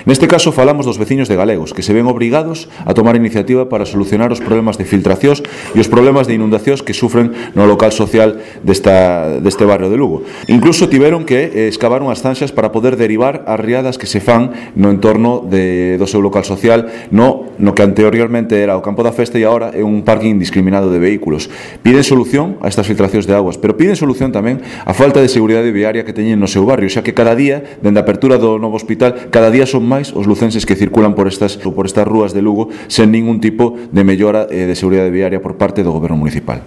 Neste caso falamos dos veciños de Galegos, que se ven obrigados a tomar iniciativa para solucionar os problemas de filtracións e os problemas de inundacións que sufren no local social deste barrio de Lugo. Incluso tiveron que excavar unhas zanxas para poder derivar as riadas que se fan no entorno do seu local social no que anteriormente era o campo da festa e agora é un parking indiscriminado de vehículos. Piden solución a estas filtracións de aguas, pero piden solución tamén a falta de seguridade viaria que teñen no seu barrio, xa que cada día, dende a apertura do novo hospital, cada día son máis os lucenses que circulan por estas rúas de Lugo sen ningún tipo de mellora de seguridade viaria por parte do goberno municipal.